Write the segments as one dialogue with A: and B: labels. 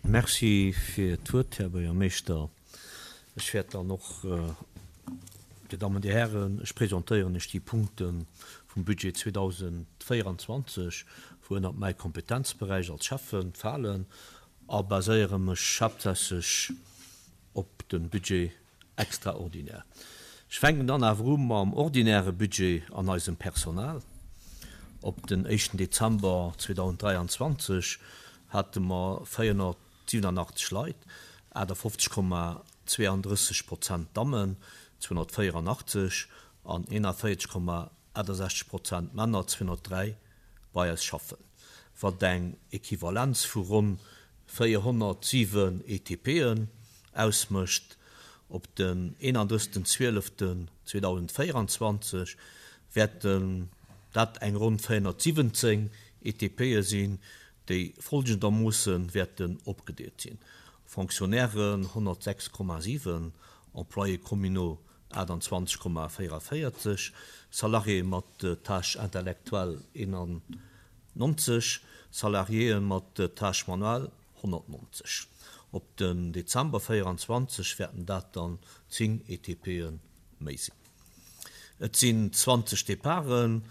A: Merci fir d'Wuert, Här Buergermeeschter. Ech wäert dann och, Dir Dammen, Dir Hären, ech presentéieren Iech déi Punkte vum Budget 2024, wou ënnert mäi Kompetenzberäich als Schäffe falen, a baséiere mech haaptsächlech op de Budget extraordinaire. Ech fänken dann awer u mam ordinäre Budget an eisem Personal. Op den éischten Dezember 2023 hate mer 487 Leit, 58,32 Prozent Dammen, 284, an 41,68 Prozent Männer, 203, bei eis schaffen, wat eng Equivalenz vu ronn 407 ETPen ausmécht. Op den 31. 12. 2024 wäerten dat eng ronn 417 ETPe sinn, déi folgendermoosse wäerten opgedeelt sinn, Fonctionnairen 106,7, Employés communaux 28,44, Salariéë mat Tâches intellectuelles 91, Salariéë mat Tâches manuelles 190. Op den Dezember 24 wäerten dat dann 10 ETPe méi sinn. Et sinn 20 Departen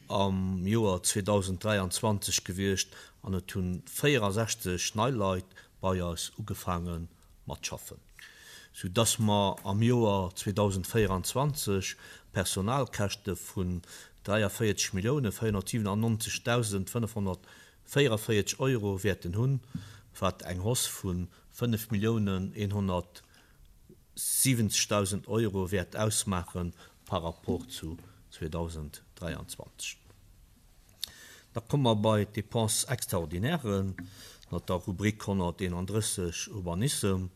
A: am Joer 2023 gewiescht an et hu 64 nei Leit bei eis ugefaange mat schaffen, sou dass mer am Joer 2024 Personalkäschte vun 43 Millioune 497.500 44 Euro wäerten hunn, wat eng Hausse vu 5.170.000 Euro wäert ausmaache par rapport zu 2023. Da komme mer bei d'Dépenses extraordinairen ënner der Rubrik 131 Urbanissem.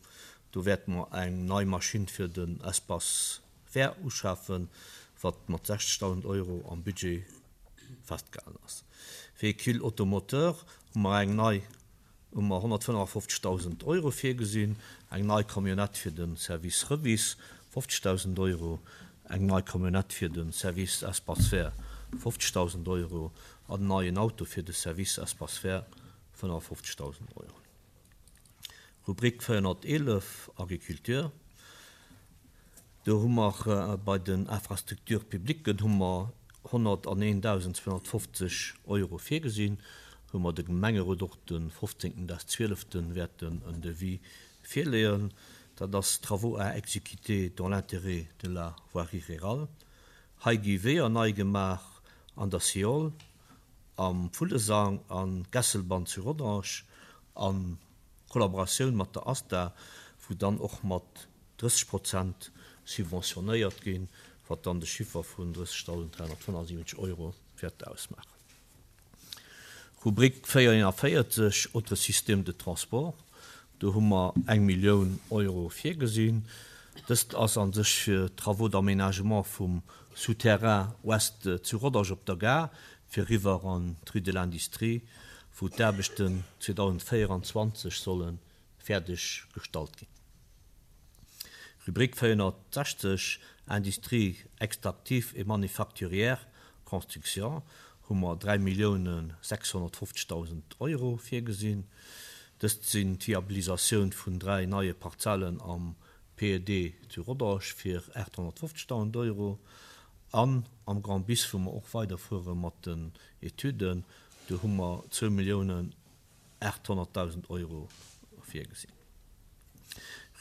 A: Do wäerte mer eng nei Maschinn fir den Espace vert uschafen, wat mat 60.000 Euro am Budget festgehalen ass. Véhicule automoteur hu mer eng nei, hu mer 155.000 Euro virgesinn, eng nei Camionnette fir de Service Revis, 50.000 Euro, eng nei Camionnette fir de Service Espace vert, 50.000 Euro, an en neien Auto fir de Service Espace vert, 55.000 Euro. Rubrik 411, Agriculture, Do hu mer bei den Infrastructures publiques hu mer 101.250 Euro virgesinn, wou mer de Gemengerot och de 15. des 12. wäerten en Devis virleeën. Dat ass Travaux à exécuter dans l'intérêt de la voirie rurale. Hei gi Weeër nei gemaach an der Siol, am Vullesang an Gesselbann zu Rodange a Kollaboratioun mat der ASTA, wou dann och mat 30 Prozent subventionéiert ginn, wat dann de Chiffer vun 30.375 Euro wäert ausmaachen. Rubrik 441, Autres systèmes de transport, do hu mer eng Millioun Euro virgesinn. Dëst ass a sech fir d'Travaux d'aménagement vum Souterrain Ouest zu Rodange op der Gare fir eriwwer an d'Rue de l'Industrie, wou d'Aarbechten 2024 solle fäerdeg gestallt ginn. Rubrik 460, Industrie extractive et manufacturière, construction, hu mer 3.650.000 Euro virgesinn. Dëst sinn d'Viabilisatioun vun 3 neie Parzellen am PED zu Rodange fir 850.000 Euro an am Grand Bis, wou mer och weiderfuere mat den Etüden, do hu mer 2.800.000 Euro virgesinn.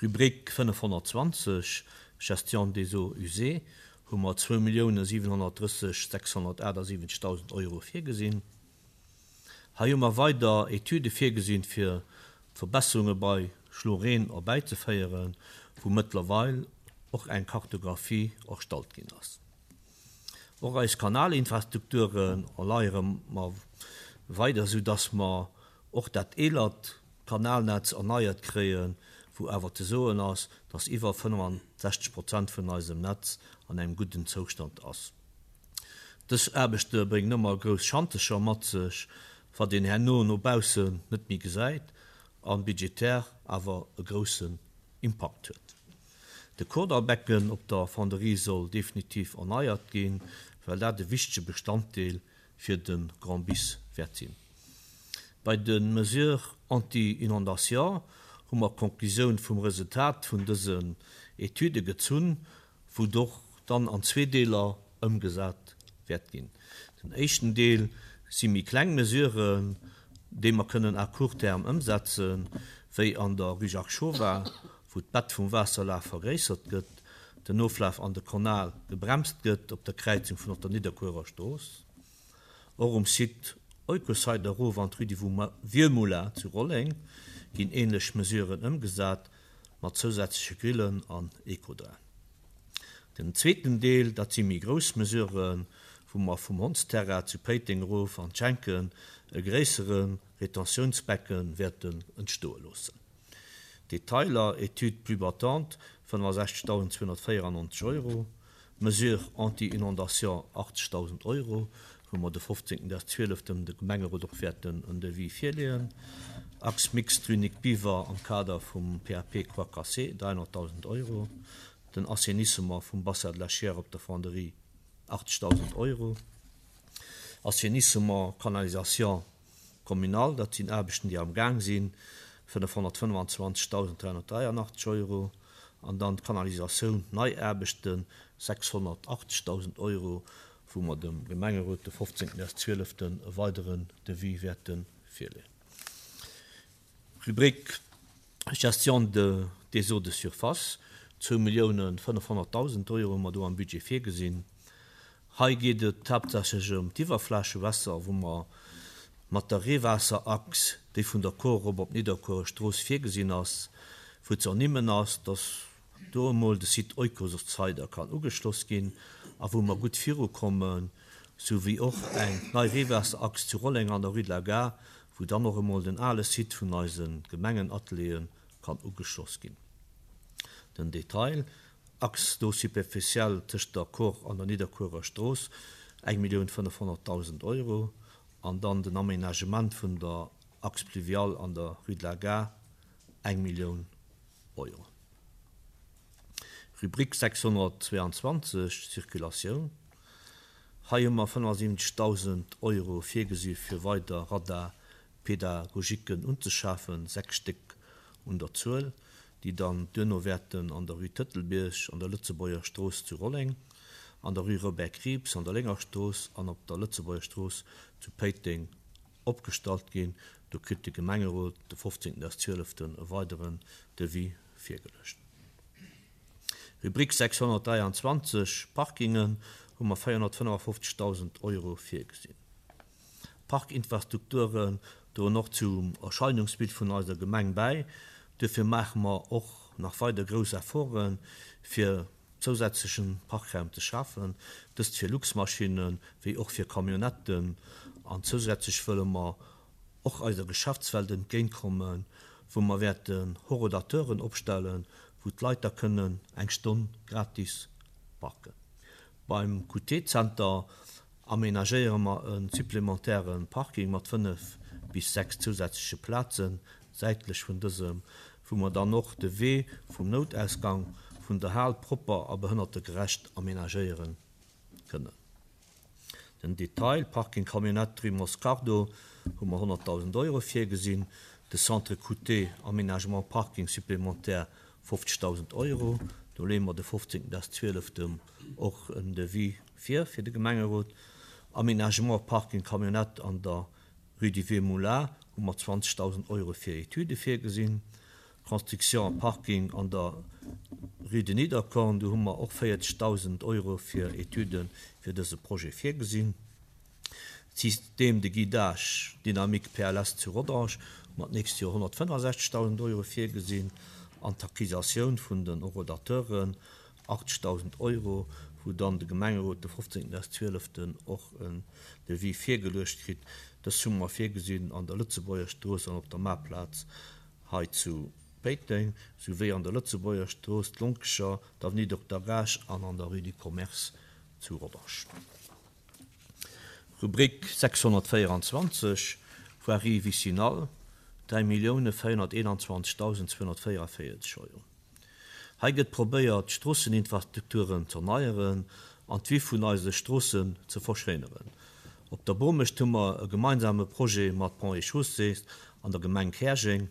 A: Rubrik 520, Gestion des eaux usées, hu mer 2.730.678 Euro virgesinn. Hei hu mer weider Etüde virgesinn, fir Verbesserunge bei Schloreen erbäizeféieren, wou mëttlerweil och eng Kartographie erstallt ginn ass. Och eis Kanalinfrastrukturen erleiere mer weider, sou dass mer och dat eelert Kanalnetz erneiert kréien, wou awer ze soen ass, dass iwwer 65 Prozent vun eisem Netz an engem gudden Zoustand ass. Dës Aarbechte bréngen ëmmer grouss Schantecher mat sech, wat een herno no baussen net méi gesäit a budgetär awer e groussen Impakt huet. De Kordallbecken op der Fonderie soll definitiv erneiert ginn, well dat e wichtege Bestanddeel fir de Grand Bis wäert sinn. Bei de Mesures anti-inondation hu mer d'Konklusioun vum Resultat vun dësen Etüde gezunn, wou och dann an zwee Deeler ëmgesat wäert ginn. Den éischten Deel si méi kleng Mesuren, déi mer kënnen à court terme ëmsetzen, wéi an der Rue Jacques Chauvat, wou d'Bett vum Waasserlaf vergréissert gëtt, den Oflaf an de Kanal gebremst gëtt op der Kräizung vun op der Nidderkuerer Strooss. Och um Site Oikosite erof an d'Rue du Vieux Moulin zu Rolleng ginn änlech Mesuren ëmgesat, mat zousätzleche Grillen an Ecodrain. Den zweeten Deel, dat si méi grouss Mesuren, wou mer vum Hondsterrain zu Péiteng erof an d'Schenken e gréissere Retentiounsbecken wäerten entstoe loossen. Detailer, Étude plus battante, 65.294 Euro, Mesures anti-inondation, 80.000 Euro, wou mer de 15. Des 12 dem de Gemengerot och wäerten en Devis virleeën, Axe mixte rue Nic Biver am Kader vum PAP Croix Cassée, 300.000 Euro, den Assainissement vum Bassin de la Chiers op der Fonderie, 80.000 Euro, Assainissement Canalisation communale, dat sinn Aarbechten, déi am Gaang sinn, 525.383 Euro, an dann d'Kanalisatioun, nei Aarbechten, 680.000 Euro, wou mer dem Gemengerot de 15.12. e weideren Devis wäerte virleeën. Rubrik Gestion de des eaux de surface, 2.500.000 Euro hu mer do am Budget virgesinn. Hei geet et haaptsächlech ëm d'Iwwerflächewässer, wou mer mat der Reewaasserachs, déi vun der Kor erop op d'Nidderkuerer Strooss virgesinn ass, wou ze ernimmen ass, dass do emol de Site Oikoscider kann ugeschloss ginn a wou mer gutt virukommen, sou wéi och eng nei Reewaasserachs zu Rolleng an der Rue de la Gare, wou dann och emol den ale Site vun eise Gemengenateliere kann ugeschloss ginn. Den Detail, Axe d'eau superficielle tëscht der Kor an der Nidderkuerer Strooss, 1.500.000 Euro, an dann den Aménagement vun der Axe pluviale an der Rue de la Gare, eng Millioun Euro. Rubrik 622, Circulatioun, Hei hu mer 75.000 Euro virgesi fir weider Radar-pédagogiquen unzeschafen, 6 Stéck un der Zuel. déi dann duerno wäerten an der Rue Tëtelbierg, an der Lëtzebuerger Strooss zu Rolleng, an der Rue Robert Krieps, an der Lénger Strooss an op der Lëtzebuerger Strooss zu Péiteng opgestallt ginn. Do kritt de Gemengerot de 15. des 12. e weideren Devis virgeluecht. Rubrik 623, Parkingen, hu mer 455.000 Euro virgesinn. Parkinfrastrukturen droen och zum Erscheinungsbild vun eiser Gemeng bäi. Duerfir maache mer och nach weider grouss Efforten, fir zousätzlechen Parkraum ze schafen, dëst fir Luxmaschinnen, wéi och fir Camionnetten. An zousätzlech wëlle mer och eiser Geschäftswelt entgéintkommen, wou mer wäerten Horodateuren opstellen, wou d'Leit da kënnen eng Stonn gratis parken. Beim QT-Zenter amenagéiere mer e supplémentaire Parking mat 5 bis 6 zousätzleche Plazen säitlech vun dësem, wou mer dann och de Wee vum Noutausgang vun der Hal propper a behënnertegerecht amenagéiere kënnen. Den Detail, Parking Camionnette rue Moscardo hu mer 100.000 Euro virgesinn, de Centre QT, Aménagement Parking supplémentaire 50.000 Euro. Do leeë mer de 15. des 12. och en Devis vir fir de Gemengerot. Aménagement Parking Camionnette an der Rue du Vieux Moulin hu mer 20.000 Euro fir Etüde virgesinn. Construction Parking an der Rue de Niederkorn, do hu mer och 40.000 Euro fir Etüde fir dëse Projet virgesinn. Système de guidage dynamique PLS zu Rodange hu mer d'nächst Joer 165.000 Euro virgesinn an d'Acquisatioun vun den Horodateuren 80.000 Euro, wou dann de Gemengerot de 15. des 12. Och en Devis virgeluecht kritt. Dës hu mer virgesinn an der Lëtzebuerger Strooss an op der Maarplaz hei zu Péiteng, souwéi an der Lëtzebuerger Strooss, d'Lonkecher, d'Avenue Dokter Gaasch an an der Rue du Commerce zu Rodange. Rubrik 624, Voirie vicinale, 3.421.244 Euro. Hei gëtt probéiert, d'Stroosseninfrastrukturen z'erneieren an d'Vue vun eise Stroossen ze verschéineren. Op der Bomecht hu mer e gemeinsame Projet mat Ponts et Chaussées an der Gemeng Käerjeng,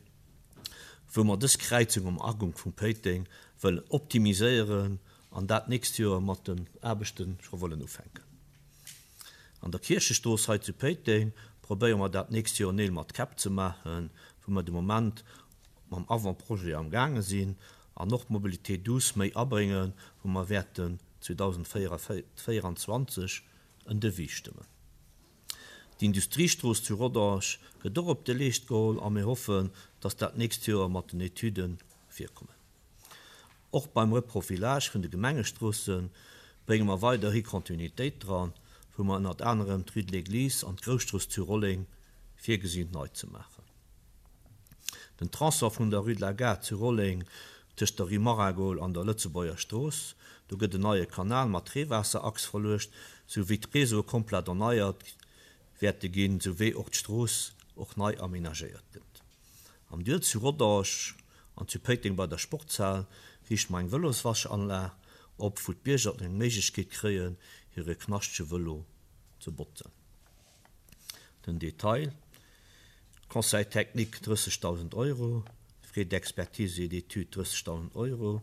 A: wou mer dës Kräizung am Agank vum Péiteng wëllen optimiséieren an dat d'nächst Joer mat den Aarbechte scho wëllen ufänken. An der Kierchestrooss hei zu Péiteng probéiere mer dat d'nächst Joer Neel mat Käpp ze maachen, wou mer de Moment mam Avant-projet am gaange sinn an och d'Mobilité douce méi abréngen, wou mer wäerten 2024 en Devis stëmmen. D'Industriestrooss zu Rodange gëtt och op de Leescht geholl a mir hoffen, dass dat d'nächst Joer mat den Etüde virkommen. Och beim Reprofilage vun de Gemengestroosse brénge mer weiderhi Kontinuitéit dran, wou mer ënnert anerem d'Rue de l'Église an d'Grousstrooss zu Rolleng virgesinn nei ze maachen. Den Tronçon vun der Rue de la Gare zu Rolleng tëscht der Rue Maragol an der Lëtzebuerger Strooss, do gëtt en neie Kanal mat Reewaasserachs verluecht, sou wéi d'Reseaue komplett erneiert wäerte ginn, sou wéi och d'Strooss och nei amenagéiert gëtt. Am Duel zu Rodange an zu Péiteng bei der Sportshal riichte mer eng Vëloswaschanlag op, wou d'Bierger eng Méiglechkeet kréien, hire knaschtege Vëlo ze botzen. Den Detail, Conseil technique 30.000 Euro, Frais d'expertise et d'études 30.000 Euro,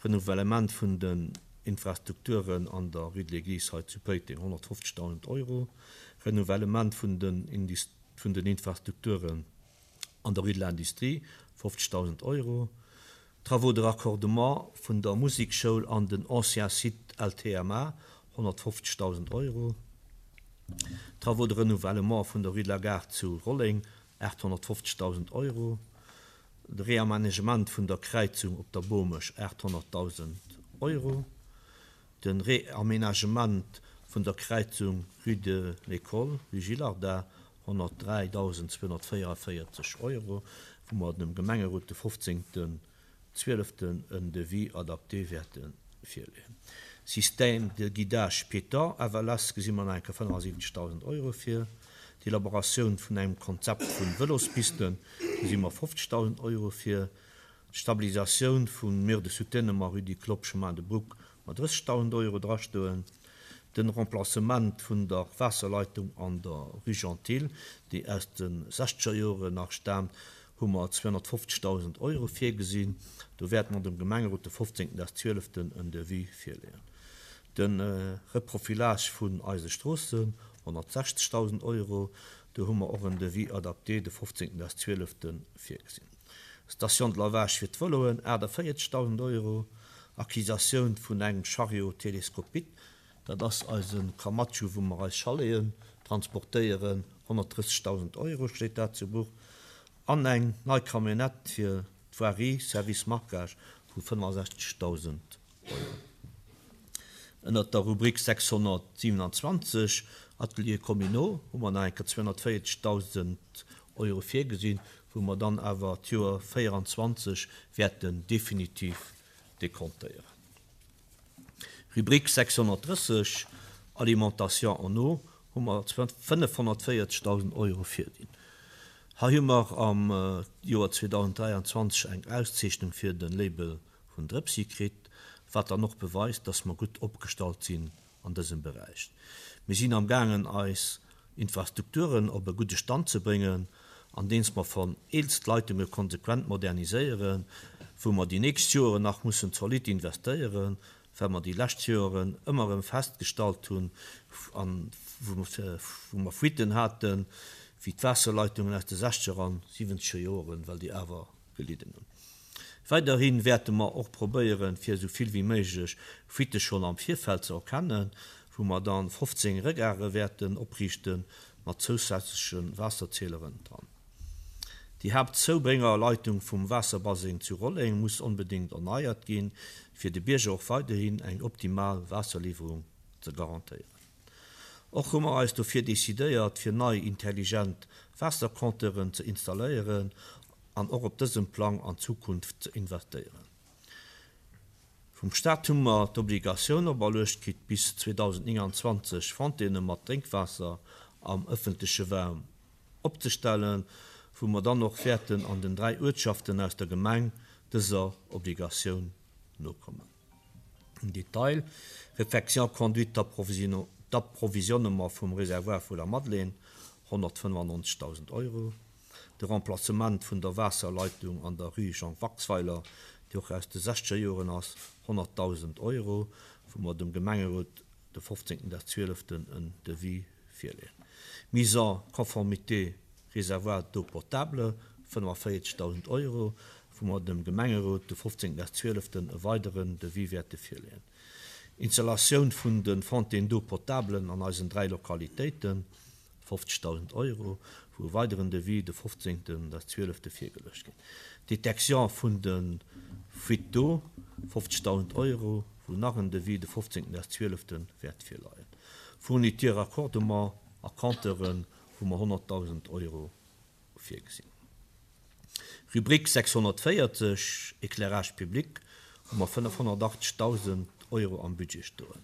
A: Renouvellement vun den Infrastrukturen an der Rue de l'Église hei zu Péiteng 150.000 Euro, Renouvellement vun den vun den Infrastrukturen an der Rue de l'Industrie 50.000 Euro, Travaux de raccordement vun der Musekschoul an den ancien Site LTMA, 150.000 Euro, Travaux de renouvellement vun der Rue de la Gare zu Rolleng, 850.000 Euro, de Réaménagement vun der Kräizung op der Bomesch, 800.000 Euro, de Réaménagement vun der Kräizung Rue de l'École, Rue Gillardin, 103.244 Euro, wou mer dem Gemengerot de 15. 12 en Devis adapté wäerte virleeën. Système de guidage piéton, FLS, gesi mer nach eng Kéier 75.000 Euro vir. D'Elaboratioun vun engem Konzept vu Vëlospisten gesi mer 50.000 Euro vir. D'Stabilisatioun vum Mur de soutènement rue du Clopp, Chemin de Brouck mat 30.000 Euro drastoen. Den Remplacement vun der Waasserleitung an der Rue Gentil, déi aus de sechzeger Joren nach staamt, hu mer 250.000 Euro virgesinn. Do wäerte mer dem Gemengerot de 15. des 12. en Devis virleeën. De Reprofilage vun eise Stroossen, 160.000 Euro, do hu mer och en Devis adapté de 15. des 12. virgesinn. Station de lavage fir d'Vëloen, 48.000 Euro. Acquisatioun vun engem Chariot télescopique, dat ass eise Kamatschu wou mer eis Chaleten transportéieren, 130.000 Euro steet dat zu Buch, an eng nei Camionnette fir d'Voirie, Service Marquage, vu 65.000 Euro. Ënnert der Rubrik 627, Ateliers communaux, hu mer nach eng Kéier 240.000 Euro virgesinn, wou mer dann awer d'Joer 24 wäerten definitiv dekontéieren. Rubrik 630, Alimentation en eau, hu mer 540.000 Euro virdinn. Hei hu mer am Joer 2023 eng Auszeechnung fir de Label vun Drëpsi kritt, wat dann och beweist, dass mer gutt opgestallt sinn an dësem Beräich. Mir sinn am gaangen eis Infrastrukturen op e gudde Stand ze bréngen, andeems mer vereelzt Leitunge konsequent moderniséieren, wou mer déi nächst Joeren nach mussen zolidd investéieren, well mer déi lescht Joeren ëmmer erëm festgestallt hunn an wou mer Fuiten haten, wéi d'Waasserleitungen aus de sechzeger an siwwenzeger Joeren, well déi awer gelidden hunn. Weiderhi wäerte mer och probéieren, fir esou vill wéi méiglech Fuitte schonn am Virfeld ze erkennen, wou mer dann 15 Regare wäerten opriichte mat zousätzleche Waasserzieleren dran. Déi Haaptzoubréngerleitung vum Waasserbaseng zu Rolleng muss onbedéngt erneiert ginn, fir de Bierger och weiderhin eng optimal Waasserliwwerung ze garantéieren. Och hu mer eis dofir decidéiert, fir nei intelligent Waassercompteuren ze installéieren an och op dësem Plang an d'Zukunft ze investéieren. Vum Staat hu mer d'Obligatioun operluecht kritt, bis 2029 Fontaine mat Drénkwaasser am ëffentleche Raum opzestellen, wou mer dann och wäerten an den 3 Uertschaften aus der Gemeng dëser Obligatioun nokommen. Am Detail, Réfection conduite. D'Approvisionnement vum Réservoir vu la Madeleine, 195.000 Euro. De Remplacement vun der Waasserleitung an der Rue Jean Waxweiler, déi och aus de sechzeger Joren ass, 100.000 Euro, wou mer dem Gemengerot de 15. des 12. en Devis virleeën. Mise en conformité Réservoir d'eau potable, 45.000 Euro, wou mer dem Gemengerot de 15. des 12. e weideren Devis wäerte virleeën. Installatioun vun de Fontaines d'eau potable an eisen 3 Lokalitéiten, 50.000 Euro, wou e weideren Devis de 15. des 12. virgeluecht ginn. Détection vun de Fuites d'eau, 50.000 Euro, wou nach en Devis de 15. des 12. wäert virleien. Fourniture Raccordement a Compteuren, wou mer 100.000 Euro virgesinn. Rubrique 640, Éclairage public, hu mer 580.000 Euro am Budget stoen.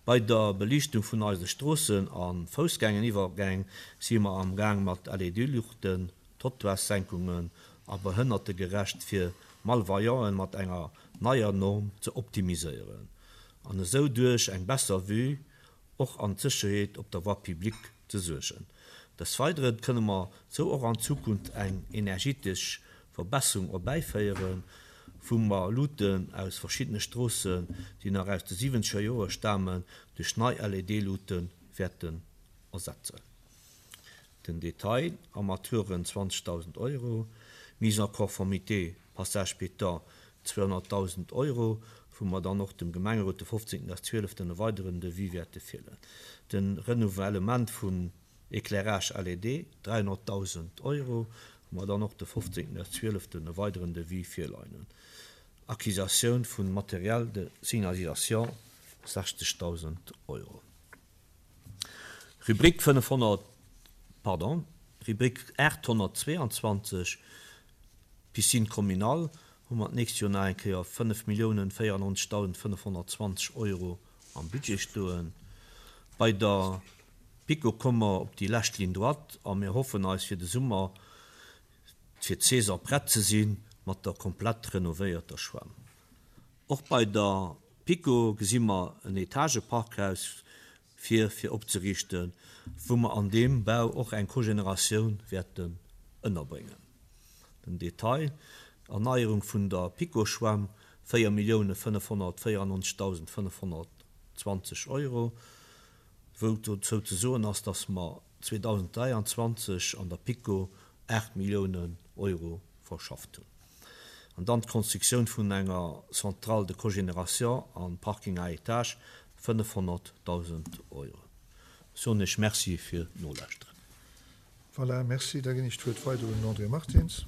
A: Bei der Beliichtung vun eise Stroossen a Foussgängeniwwergäng si mer am Gaang mat LED-Luuchten, Trottoirssenkungen a behënnertegerecht fir Malvoyanten mat enger neier Norm ze optimiséieren an esou duerch eng besser Vue och an d'Sécherheet op der Voie publique ze suergen. Des Weidere kënne mer sou och an Zukunft eng energietesch Verbesserung erbäiféieren, wou mer Luuten aus verschiddene Stroossen, déi nach aus de siwwenzeger Joere stamen, duerch nei LED-Luute wäerten ersetzen. Den Detail, Armaturen 20.000 Euro, Mise en conformité Passage piéton 200.000 Euro, wou mer dann och dem Gemengerot de 15. 12. e weideren Devis wäerte virleeën. De Renouvellement vum Éclairage LED 300.000 Euro, wou mer dann och de 15. 12. e weideren Devis virleien hunn. Acquisitioun vu Matériel de signalisation 60.000 Euro. Rubrik 500, pardon, Rubrik 822, Piscine communale, hu mer d'nächst Joer nach eng Kéier 5.094.520 Euro am Budget stoen. Bei der PiKo komme mer op déi lescht Ligne droite a mir hoffen eis fir de Summer fir d'Saison prett ze si mat der komplett renovéierter Schwämm. Och bei der PiKo gesi mer en Etageparkhaus vir fir opzeriichten, wou mer an deem Bau och eng Cogénératioun wäerten ënnerbréngen. Den Detail, Erneierung vun der PiKo-Schwämm, 4.594.520 Euro, wou dozou ze soen ass, dass mer 2023 an der PiKo 8 Milliounen Euro verschafft hunn. An dann d'Konstruktioun vun enger Centrale de cogénération an Parking à étages, 500.000 Euro. Ech soen Iech Merci fir d'Nolauschteren.
B: Voilà, merci. Da ginn ech d'Wuert weider un den André Martins.